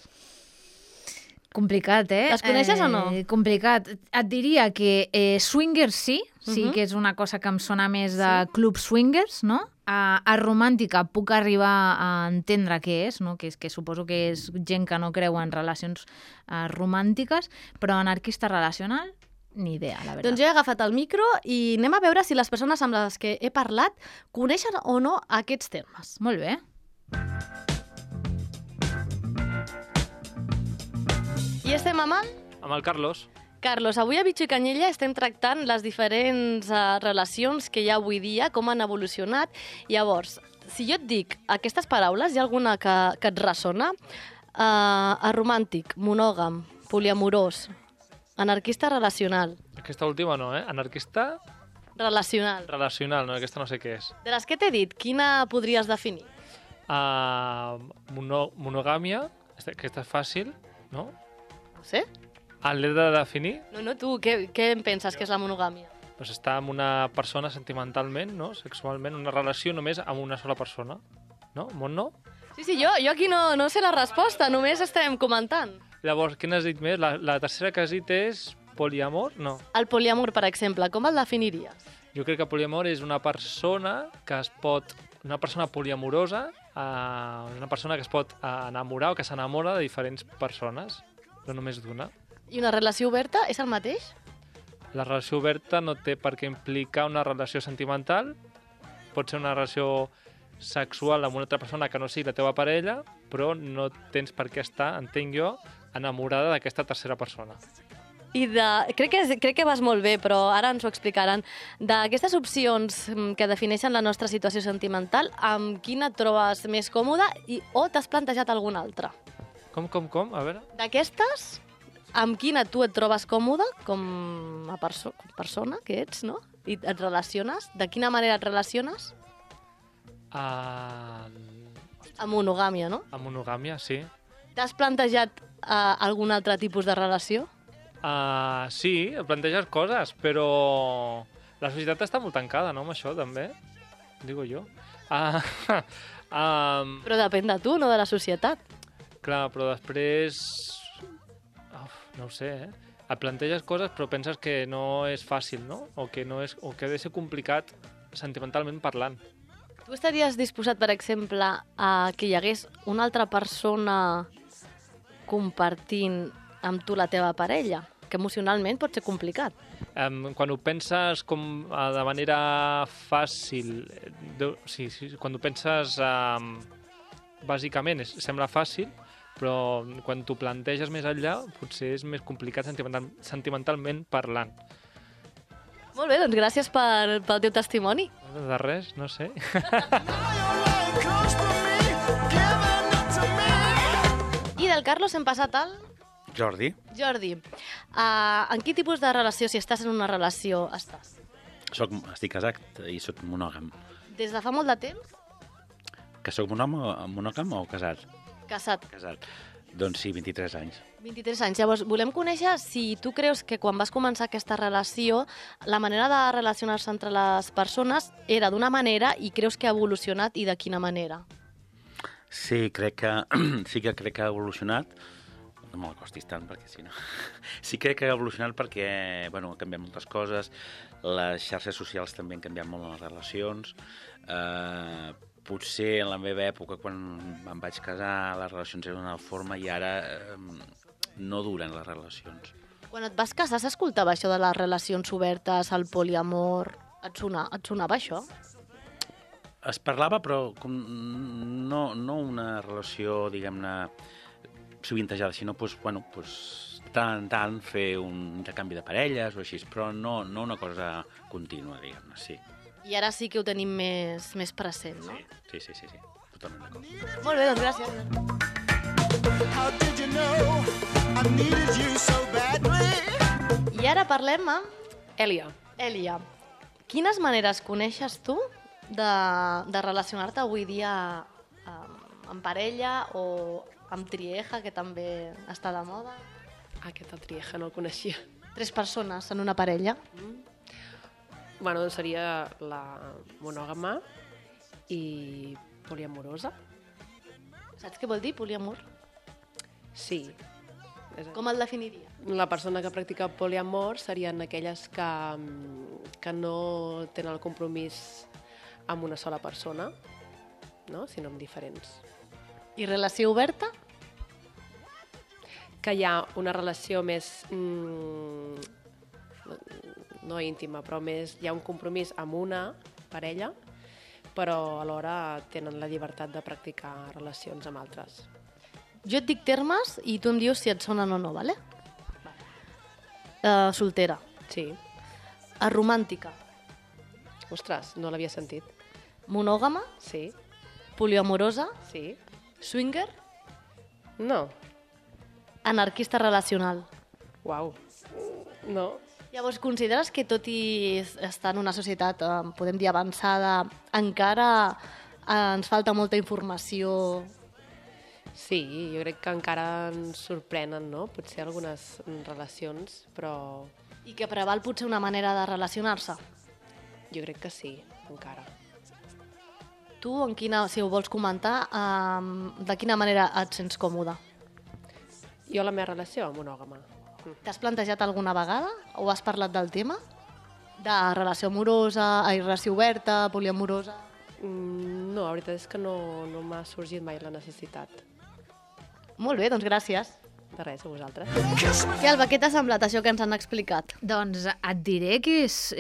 Complicat, eh? Les coneixes o no? Complicat. Et diria que swinger sí que és una cosa que em sona més de club swingers, no? A romàntica puc arribar a entendre què és, no? Que suposo que és gent que no creu en relacions romàntiques, però anarquista relacional, ni idea, la veritat. Doncs jo he agafat el micro i anem a veure si les persones amb les que he parlat coneixen o no aquests termes. Molt bé. I estem amb el Carlos. Carlos, avui a Bitxo i Canyella estem tractant les diferents relacions que hi ha avui dia, com han evolucionat. Llavors, si jo et dic aquestes paraules, hi ha alguna que et ressona? Aromàntic, monògam, poliamorós, anarquista relacional. Aquesta última no, eh? Anarquista Relacional. relacional, no? Aquesta no sé què és. De les que t'he dit, quina podries definir? Monogàmia, aquesta és fàcil, no? No sé. L'he de definir? No, tu, què em penses que és la monogàmia? Doncs estar amb una persona sentimentalment, no? Sexualment, una relació només amb una sola persona. No? Mont no? Sí, jo aquí no sé la resposta, només estem comentant. Llavors, què n'has dit més? La tercera que has dit és poliamor? No. El poliamor, per exemple, com el definiries? Jo crec que poliamor és una persona que es pot... Una persona poliamorosa, una persona que es pot enamorar o que s'enamora de diferents persones, no només d'una. I una relació oberta és el mateix? La relació oberta no té per què implicar una relació sentimental. Pot ser una relació sexual amb una altra persona que no sigui la teva parella, però no tens per què estar, entenc jo, enamorada d'aquesta tercera persona. I crec que vas molt bé, però ara ens ho explicaran. D'aquestes opcions que defineixen la nostra situació sentimental, amb quina et trobes més còmoda o t'has plantejat alguna altra? Com? A veure... D'aquestes, amb quina tu et trobes còmoda com a persona que ets, no? I et relaciones? De quina manera et relaciones? Amb monogàmia, no? Amb monogàmia, sí. T'has plantejat algun altre tipus de relació? Sí, planteges coses, però la societat està molt tancada, no?, amb això, també, digo jo. Però depèn de tu, no de la societat. Clar, però després... no ho sé, eh? Et planteges coses però penses que no és fàcil, no? O que ha de ser complicat sentimentalment parlant. Tu estaries disposat, per exemple, a que hi hagués una altra persona compartint amb tu la teva parella? Que emocionalment pot ser complicat. Quan ho penses de manera fàcil, quan ho penses bàsicament sembla fàcil, però quan t'ho planteges més enllà potser és més complicat sentimentalment parlant. Molt bé, doncs gràcies pel teu testimoni. De res, no sé. I del Carlos hem passat al Jordi. Jordi. En quin tipus de relació, si estàs en una relació, estàs? Estic casat i soc monògam. Des de fa molt de temps? Que soc monògam o casat? Casat. Casat. Doncs sí, 23 anys. 23 anys. Llavors, volem conèixer si tu creus que quan vas començar aquesta relació, la manera de relacionar-se entre les persones era d'una manera i creus que ha evolucionat i de quina manera? Sí, crec que ha evolucionat. No me l'acostis tant, perquè si no... Sí, crec que ha evolucionat perquè, bueno, han canviat moltes coses, les xarxes socials també han canviat molt les relacions. Potser en la meva època, quan em vaig casar, les relacions eren d'una forma i ara no duren les relacions. Quan et vas casar s'escoltava això de les relacions obertes, el poliamor... Et sonava això? Es parlava, però no una relació, diguem-ne, sovintejada, sinó tant en tant fer un intercanvi de parelles o així, però no una cosa contínua, diguem-ne, sí. I ara sí que ho tenim més present, no? Sí, totalment d'acord. Molt bé, doncs gràcies. I ara parlem amb Èlia. Èlia. Quines maneres coneixes tu de relacionar-te avui dia amb parella o amb trieja, que també està de moda? Aquesta trieja no el coneixia. 3 persones en una parella. Bueno, doncs seria la monògama i poliamorosa. Saps què vol dir poliamor? Sí. Com el definiria? La persona que practica poliamor serien aquelles que no tenen el compromís amb una sola persona, no? Sinó amb diferents. I relació oberta? Que hi ha una relació més... no íntima, però més hi ha un compromís amb una parella, però alhora tenen la llibertat de practicar relacions amb altres. Jo et dic termes i tu em dius si et sonen o no, vale? Soltera. Sí. Romàntica. Ostres, no l'havia sentit. Monògama. Sí. Poliamorosa. Sí. Swinger. No. Anarquista relacional. Uau. No. Llavors, consideres que tot i estar en una societat, podem dir, avançada, encara ens falta molta informació? Sí, jo crec que encara ens sorprenen, no? Potser algunes relacions, però... I que preval potser una manera de relacionar-se? Jo crec que sí, encara. Tu, si ho vols comentar, de quina manera et sents còmode? Jo la meva relació monògama. T'has plantejat alguna vegada o has parlat del tema? De relació amorosa, relació oberta, poliamorosa? No, la veritat és que no m'ha sorgit mai la necessitat. Molt bé, doncs gràcies. De res, a vosaltres. Què, Alba, què t'ha semblat això que ens han explicat? Doncs et diré que és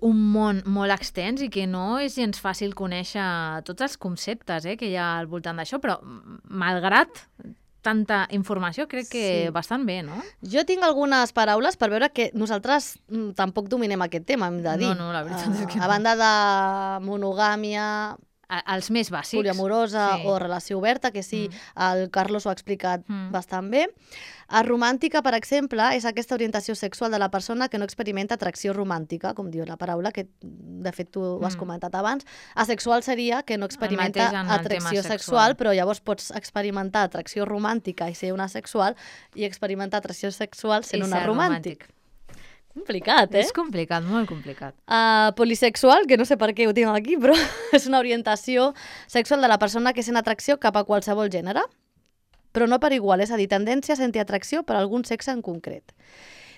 un món molt extens i que no és gens fàcil conèixer tots els conceptes que hi ha al voltant d'això, però malgrat tanta informació, crec que bastant bé, no? Jo tinc algunes paraules per veure que nosaltres tampoc dominem aquest tema, hem de dir. No, la veritat és que no. A banda de monogàmia, els més bàsics. Poliamorosa o relació oberta, que sí, el Carlos ho ha explicat bastant bé. Romàntica, per exemple, és aquesta orientació sexual de la persona que no experimenta atracció romàntica, com diu la paraula, que de fet tu ho has comentat abans. Asexual seria que no experimenta atracció sexual, però llavors pots experimentar atracció romàntica i ser una asexual i experimentar atracció sexual sent una romàntic. Complicat, És complicat, molt complicat. Polisexual, que no sé per què ho tinc aquí, però és una orientació sexual de la persona que sent atracció cap a qualsevol gènere, però no per igual, és a dir, tendència a sentir atracció per algun sexe en concret.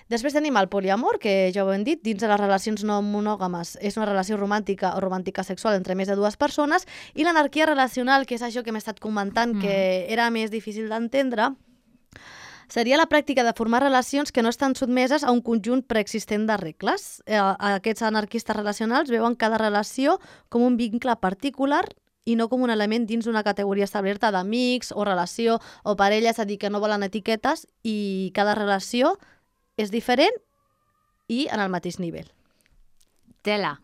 Després tenim el poliamor, que ja ho hem dit, dins de les relacions no monògames és una relació romàntica o romàntica sexual entre més de 2 persones, i l'anarquia relacional, que és això que m'he estat comentant, que era més difícil d'entendre, seria la pràctica de formar relacions que no estan sotmeses a un conjunt preexistent de regles. Aquests anarquistes relacionals veuen cada relació com un vincle particular i no com un element dins d'una categoria establerta d'amics o relació o parella, és a dir, que no volen etiquetes i cada relació és diferent i en el mateix nivell. Tela.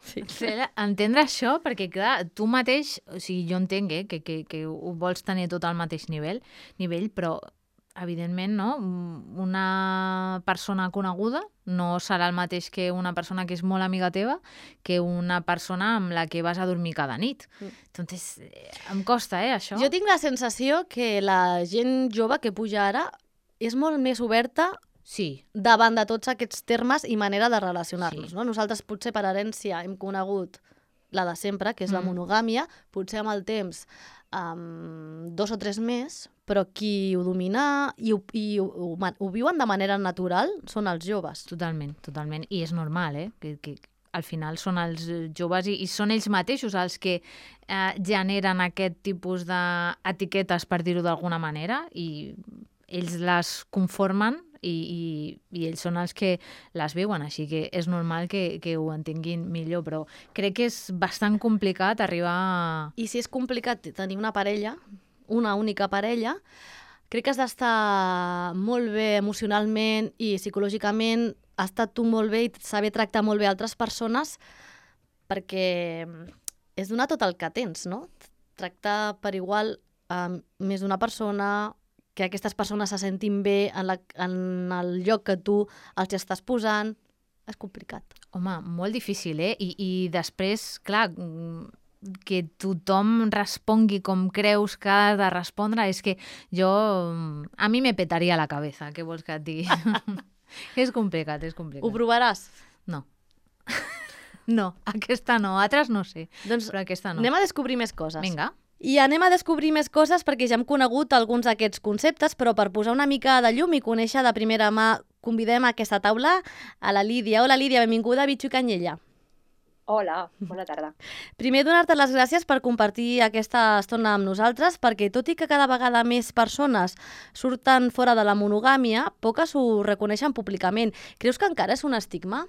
Entendre això, perquè clar, tu mateix, o sigui, jo entenc que ho vols tenir tot al mateix nivell, però evidentment, no? Una persona coneguda no serà el mateix que una persona que és molt amiga teva que una persona amb la que vas a dormir cada nit. Entonces, em costa, això. Jo tinc la sensació que la gent jove que puja ara és molt més oberta davant de tots aquests termes i manera de relacionar-nos. No? Nosaltres potser per herència hem conegut la de sempre, que és la monogàmia, potser amb el temps 2 o 3 més, però qui ho domina i ho viuen de manera natural són els joves. Totalment. I és normal, que al final són els joves i són ells mateixos els que generen aquest tipus d'etiquetes, per dir-ho d'alguna manera, i ells les conformen i ells són els que les viuen, així que és normal que ho entenguin millor, però crec que és bastant complicat arribar a... I si és complicat tenir una parella, una única parella, crec que has d'estar molt bé emocionalment i psicològicament, estar tu molt bé i saber tractar molt bé altres persones, perquè és donar tot el que tens, no? Tractar per igual més d'una persona, que aquestes persones se sentin bé en el lloc que tu els estàs posant. És complicat. Home, molt difícil, I després, clar, que tothom respongui com creus que ha de respondre, és que a mi me petaria la cabeza, què vols que et digui? És complicat. Ho provaràs? No. No, aquesta no, altres no sé, però aquesta no. Anem a descobrir més coses. Vinga. I anem a descobrir més coses perquè ja hem conegut alguns d'aquests conceptes, però per posar una mica de llum i conèixer de primera mà, convidem a aquesta taula a la Lídia. Hola, Lídia, benvinguda a Bitxo i Canyella. Hola, bona tarda. Primer, donar-te les gràcies per compartir aquesta estona amb nosaltres, perquè tot i que cada vegada més persones surten fora de la monogàmia, poques ho reconeixen públicament. Creus que encara és un estigma?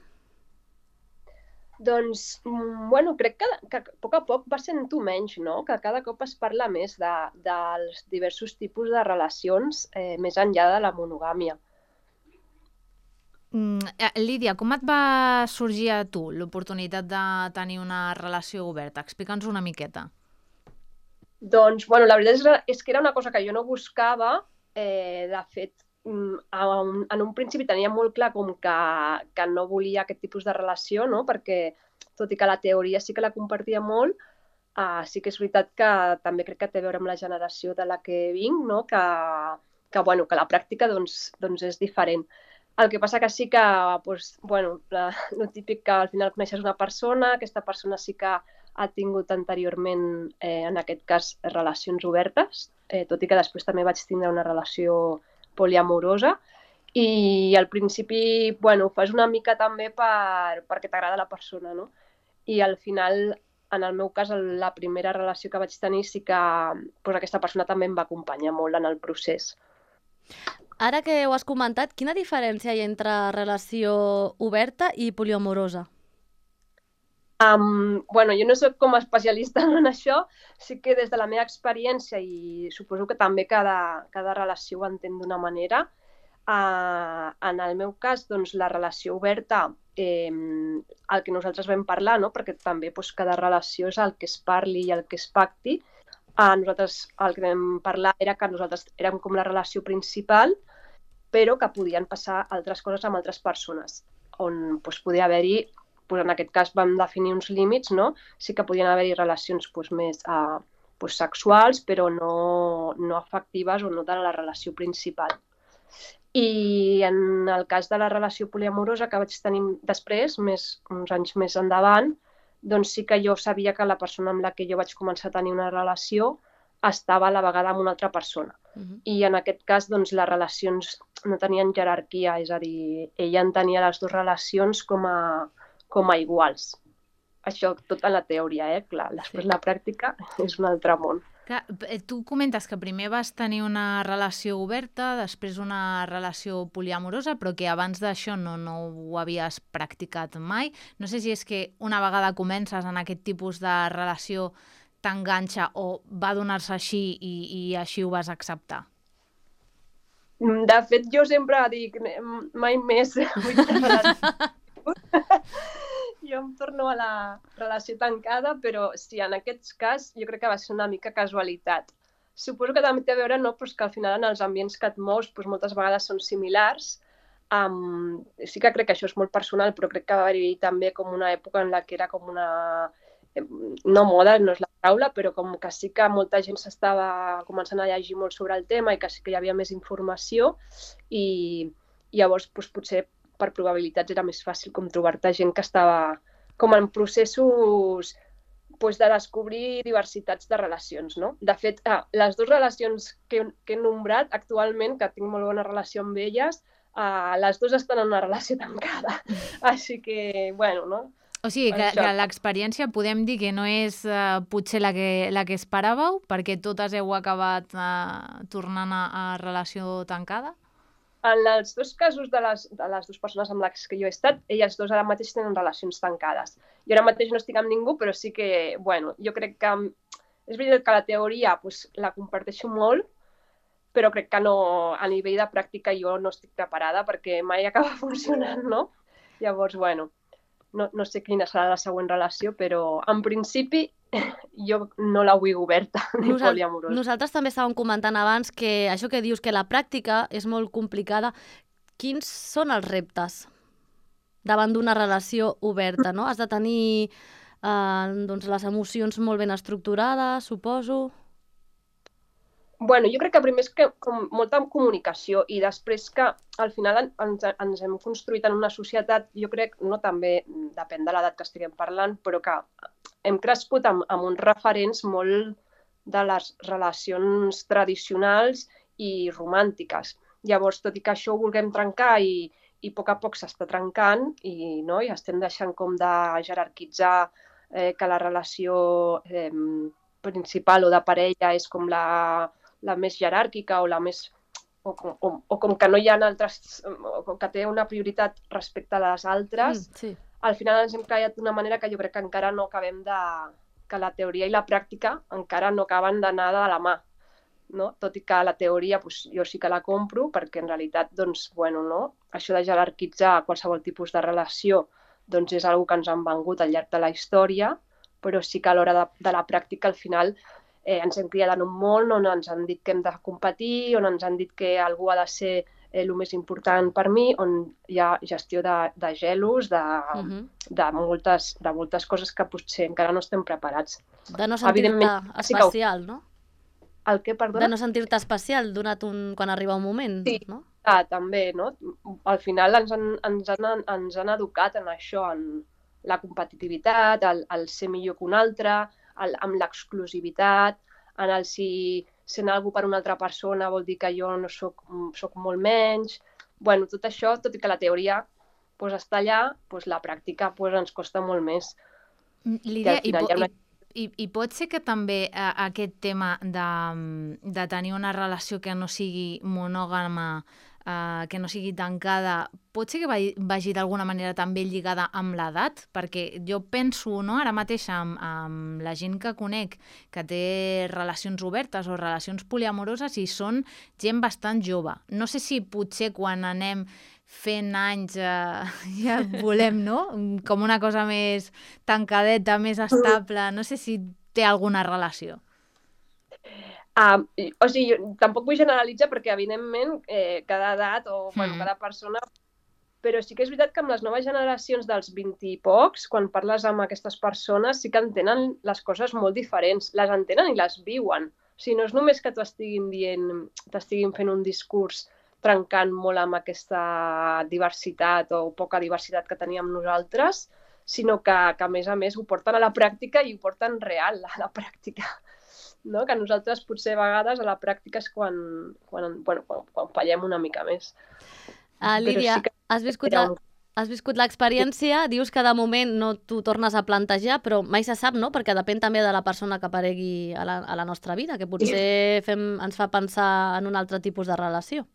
Doncs, bueno, crec que a poc va sent-ho menys, no? Que cada cop es parla més dels diversos tipus de relacions més enllà de la monogàmia. Lídia, com et va sorgir a tu l'oportunitat de tenir una relació oberta? Explica'ns una miqueta. Doncs, bueno, la veritat és que era una cosa que jo no buscava. De fet, en un principi tenia molt clar com que no volia aquest tipus de relació, no? Perquè, tot i que la teoria sí que la compartia molt, sí que és veritat que també crec que té a veure amb la generació de la que vinc, no? Que la pràctica doncs, és diferent. El que passa que sí que, el típic que al final coneixes una persona, aquesta persona sí que ha tingut anteriorment, en aquest cas, relacions obertes, tot i que després també vaig tindre una relació poliamorosa, i al principi ho fas una mica també perquè t'agrada la persona, no? I al final, en el meu cas, la primera relació que vaig tenir sí que aquesta persona també em va acompanyar molt en el procés. Ara que ho has comentat, quina diferència hi ha entre relació oberta i poliamorosa? Jo no soc com a especialista en això, sí que des de la meva experiència, i suposo que també cada relació ho entén d'una manera, en el meu cas, doncs, la relació oberta, el que nosaltres vam parlar, no? Perquè també cada relació és el que es parli i el que es pacti. Nosaltres el que vam parlar era que nosaltres érem com la relació principal, però que podien passar altres coses amb altres persones, on podia haver-hi, en aquest cas vam definir uns límits, no? Sí que podien haver-hi relacions més sexuals, però no afectives o no de la relació principal. I en el cas de la relació poliamorosa que vaig tenir després, uns anys més endavant, doncs sí que jo sabia que la persona amb la que jo vaig començar a tenir una relació estava a la vegada amb una altra persona. I en aquest cas, doncs, les relacions no tenien jerarquia, és a dir, ella entenia les dues relacions com a iguals. Això tot en la teoria, clar. Després la pràctica és un altre món. Clar, tu comentes que primer vas tenir una relació oberta, després una relació poliamorosa, però que abans d'això no ho havies practicat mai. No sé si és que una vegada comences en aquest tipus de relació t'enganxa o va donar-se així i així ho vas acceptar. De fet, jo sempre dic mai més. jo em torno a la relació tancada, però sí, en aquest cas jo crec que va ser una mica casualitat. Suposo que també té a veure, no, pues que al final en els ambients que et mous pues moltes vegades són similars. Sí que crec que això és molt personal, però crec que va haver-hi també com una època en la que era com una... no moda, no és la paraula, però com que sí que molta gent s'estava començant a llegir molt sobre el tema i que sí que hi havia més informació i llavors doncs, potser per probabilitats era més fàcil com trobar-te gent que estava com en processos doncs, de descobrir diversitats de relacions, no? De fet, les dues relacions que he nombrat actualment, que tinc molt bona relació amb elles, les dues estan en una relació tancada. Així que, bueno, no? O sigui, que l'experiència podem dir que no és potser la que esperàveu, perquè totes heu acabat tornant a relació tancada? En els dos casos de les dues persones amb les que jo he estat, elles dues ara mateix tenen relacions tancades. Jo ara mateix no estic amb ningú, però sí que, bueno, jo crec que és veritat que la teoria pues, la comparteixo molt, però crec que no, a nivell de pràctica jo no estic preparada perquè mai acaba funcionant, no? Llavors, bueno, no sé quina serà la següent relació, però en principi jo no la vull oberta ni poliamorosa. Nosaltres també estàvem comentant abans que això que dius, que la pràctica és molt complicada. Quins són els reptes davant d'una relació oberta, no? Has de tenir doncs, les emocions molt ben estructurades, suposo. Bueno, jo crec que primer és que com molta comunicació i després que al final ens hem construït en una societat, jo crec, no també depèn de l'edat que estiguem parlant, però que hem crescut amb uns referents molt de les relacions tradicionals i romàntiques. Llavors, tot i que això ho vulguem trencar i a poc s'està trencant i estem deixant com de jerarquitzar que la relació principal o de parella és com la més jeràrquica o la més... o com que no hi ha altres... o que té una prioritat respecte a les altres, Sí. al final ens hem callat d'una manera que jo crec que encara no acabem de... que la teoria i la pràctica encara no acaben d'anar de la mà. No? Tot i que la teoria doncs, jo sí que la compro perquè en realitat doncs, bueno, no? Això de jerarquitzar qualsevol tipus de relació doncs, és una que ens han vengut al llarg de la història, però sí que a l'hora de la pràctica al final ens hem criat en un món on ens han dit que hem de competir, on ens han dit que algú ha de ser el més important per mi, on hi ha gestió de gelos, de moltes coses que potser encara no estem preparats. De no sentir-te especial, no? El què, perdona? De no sentir-te especial quan arriba un moment, sí, no? També, no? Al final ens han educat en això, en la competitivitat, el ser millor que un altre, amb l'exclusivitat, en el si sent algú per una altra persona vol dir que jo no soc molt menys. Bueno, tot això, tot i que la teoria pues, està allà, pues, la pràctica pues, ens costa molt més. Lídia, i pot ser que també aquest tema de tenir una relació que no sigui monògama, que no sigui tancada, pot ser que vagi d'alguna manera també lligada amb l'edat? Perquè jo penso, no, ara mateix amb la gent que conec que té relacions obertes o relacions poliamoroses i són gent bastant jove. No sé si potser quan anem fent anys ja volem, no? Com una cosa més tancadeta, més estable. No sé si té alguna relació. O sigui, jo tampoc vull generalitzar perquè, evidentment, cada edat o cada persona... Però sí que és veritat que amb les noves generacions dels 20 i pocs, quan parles amb aquestes persones, sí que entenen les coses molt diferents. Les entenen i les viuen. O sigui, no és només que t'ho t'estiguin fent un discurs trencant molt amb aquesta diversitat o poca diversitat que teníem nosaltres, sinó que a més a més ho porten a la pràctica i ho porten real a la pràctica. No? Que nosaltres potser a vegades a la pràctica és quan fallem una mica més. Lídia, sí que... has viscut l'experiència, dius que de moment no t'ho tornes a plantejar, però mai se sap, no? Perquè depèn també de la persona que aparegui a la nostra vida, que potser ens fa pensar en un altre tipus de relació.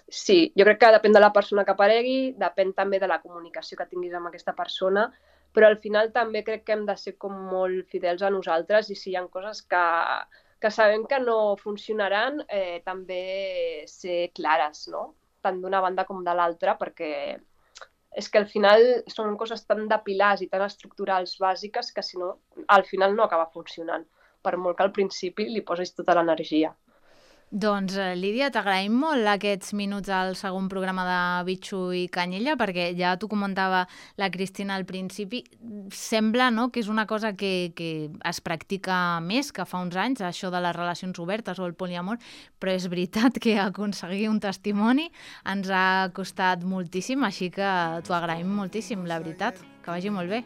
Sí, jo crec que depèn de la persona que aparegui, depèn també de la comunicació que tinguis amb aquesta persona, però al final també crec que hem de ser com molt fidels a nosaltres i si hi ha coses que sabem que no funcionaran, també ser clares, no? Tant d'una banda com de l'altra, perquè és que al final són coses tan de pilars i tan estructurals bàsiques que si no, al final no acaba funcionant, per molt que al principi li posis tota l'energia. Doncs, Lídia, t'agraïm molt aquests minuts al segon programa de Bitxo i Canyella, perquè ja t'ho comentava la Cristina al principi, sembla, no?, que és una cosa que es practica més que fa uns anys, això de les relacions obertes o el poliamor, però és veritat que aconseguir un testimoni ens ha costat moltíssim, així que t'ho agraïm moltíssim, la veritat. Que vagi molt bé.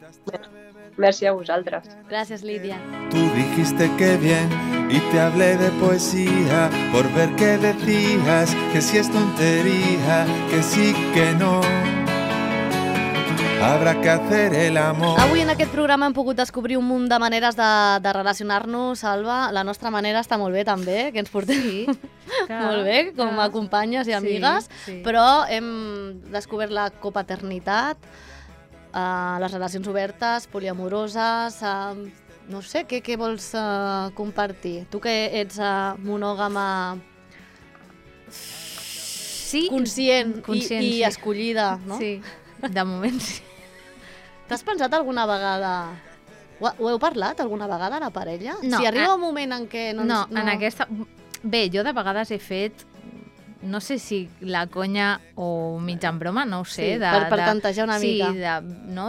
Merci a vosaltres. Gràcies, Lídia. Tú dijiste que bien y te hablé de poesía por ver qué decías, que si es tontería, que sí, que no. Habrá que hacer el amor. Avui en aquest programa hem pogut descobrir un munt de maneres de relacionar-nos, Alba. La nostra manera està molt bé també, que ens portem molt bé, com a companyes i amigues, però hem descobert la copaternitat, les relacions obertes, poliamoroses, no sé, què vols compartir? Tu que ets monògama conscient i escollida, no? Sí, de moment sí. T'has pensat alguna vegada... Ho heu parlat alguna vegada a la parella? No. Si arriba un moment en què... No, en aquesta... Bé, jo de vegades he fet... No sé si la conya o mig en broma, no ho sé. Sí, per tantejar una mica. Sí,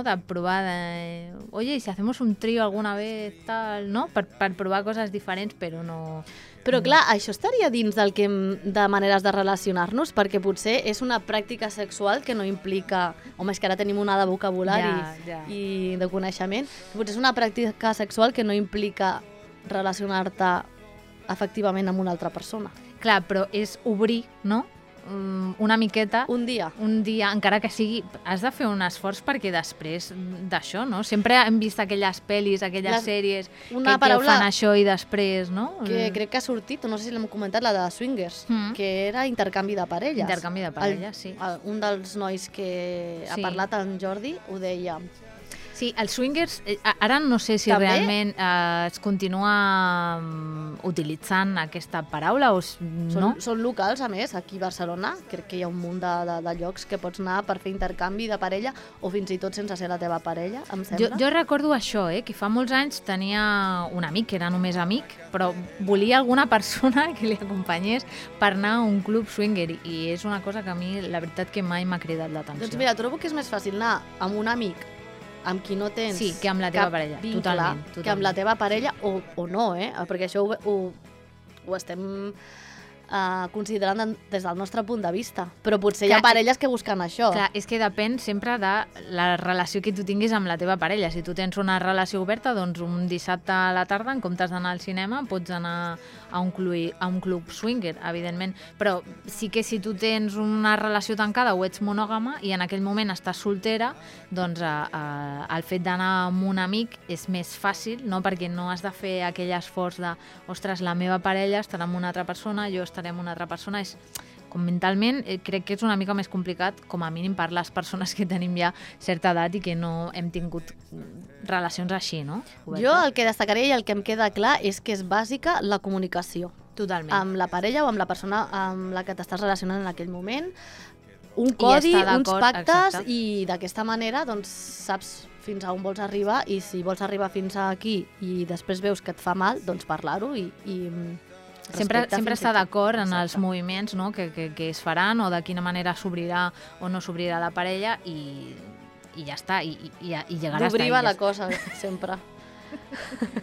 de provar oye, si hacemos un trío alguna vez, tal, no? Per provar coses diferents, però no... Però clar, això estaria dins del que de maneres de relacionar-nos, perquè potser és una pràctica sexual que no implica... Home, és que ara tenim una de vocabulari i de coneixement. Potser és una pràctica sexual que no implica relacionar-te efectivament amb una altra persona. Clar, però és obrir, no?, una miqueta... Un dia, encara que sigui... Has de fer un esforç perquè després d'això, no? Sempre hem vist aquelles pel·lis, aquelles sèries que fan això i després, no? Que crec que ha sortit, no sé si l'hem comentat, la de Swingers, que era intercanvi de parelles. Intercanvi de parelles, sí. Un dels nois que ha parlat, en Jordi, ho deia. Sí, els swingers, ara no sé si també realment es continua utilitzant aquesta paraula o no. Són locals, a més, aquí a Barcelona. Crec que hi ha un munt de llocs que pots anar per fer intercanvi de parella o fins i tot sense ser la teva parella, em sembla. Jo recordo això, que fa molts anys tenia un amic, que era només amic, però volia alguna persona que li acompanyés per anar a un club swinger i és una cosa que a mi, la veritat, que mai m'ha cridat l'atenció. Doncs mira, trobo que és més fàcil anar amb un amic amb qui no tens que amb la teva parella, vincle, totalment. Que amb la teva parella o no, perquè això ho estem considerant des del nostre punt de vista. Però potser hi ha parelles que busquen això. Clar, és que depèn sempre de la relació que tu tinguis amb la teva parella. Si tu tens una relació oberta, doncs un dissabte a la tarda, en comptes d'anar al cinema, pots anar a un club swinger, evidentment. Però sí que si tu tens una relació tancada o ets monògama i en aquell moment estàs soltera, doncs el fet d'anar amb un amic és més fàcil, no? Perquè no has de fer aquell esforç de ostres, la meva parella estarà amb una altra persona, jo estaré amb una altra persona. És com mentalment crec que és una mica més complicat, com a mínim per les persones que tenim ja certa edat i que no hem tingut relacions així, no? Jo el que destacaré i el que em queda clar és que és bàsica la comunicació. Totalment. Amb la parella o amb la persona amb la que t'estàs relacionant en aquell moment. Un codi, uns pactes, exacte. I d'aquesta manera doncs, saps fins a on vols arribar i si vols arribar fins aquí i després veus que et fa mal, doncs parlar-ho i Sempre està d'acord en els moviments, no? que es faran o de quina manera s'obrirà o no s'obrirà la parella i ja està, i llegarà a estar. D'obrir va la cosa, sempre.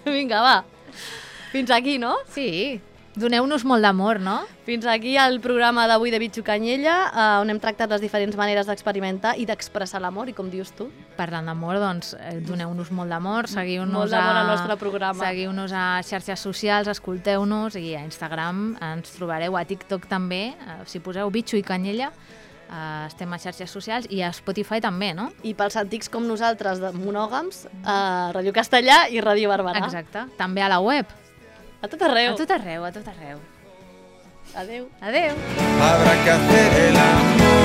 Vinga, va. Fins aquí, no? Sí. Doneu-nos molt d'amor, no? Fins aquí el programa d'avui de Bitxo Canyella, on hem tractat les diferents maneres d'experimentar i d'expressar l'amor, i com dius tu? Parlant d'amor, doncs, doneu-nos molt d'amor, seguiu-nos al nostre programa. Seguiu-nos a xarxes socials, escolteu-nos, i a Instagram ens trobareu, a TikTok també, si poseu Bitxo i Canyella, estem a xarxes socials, i a Spotify també, no? I pels antics com nosaltres, de monògams, Ràdio Castellà i Ràdio Barberà. Exacte, també a la web. A tot arreu. A tot arreu, a tot arreu. Adeu. Adeu. Habrá que hacer el amor.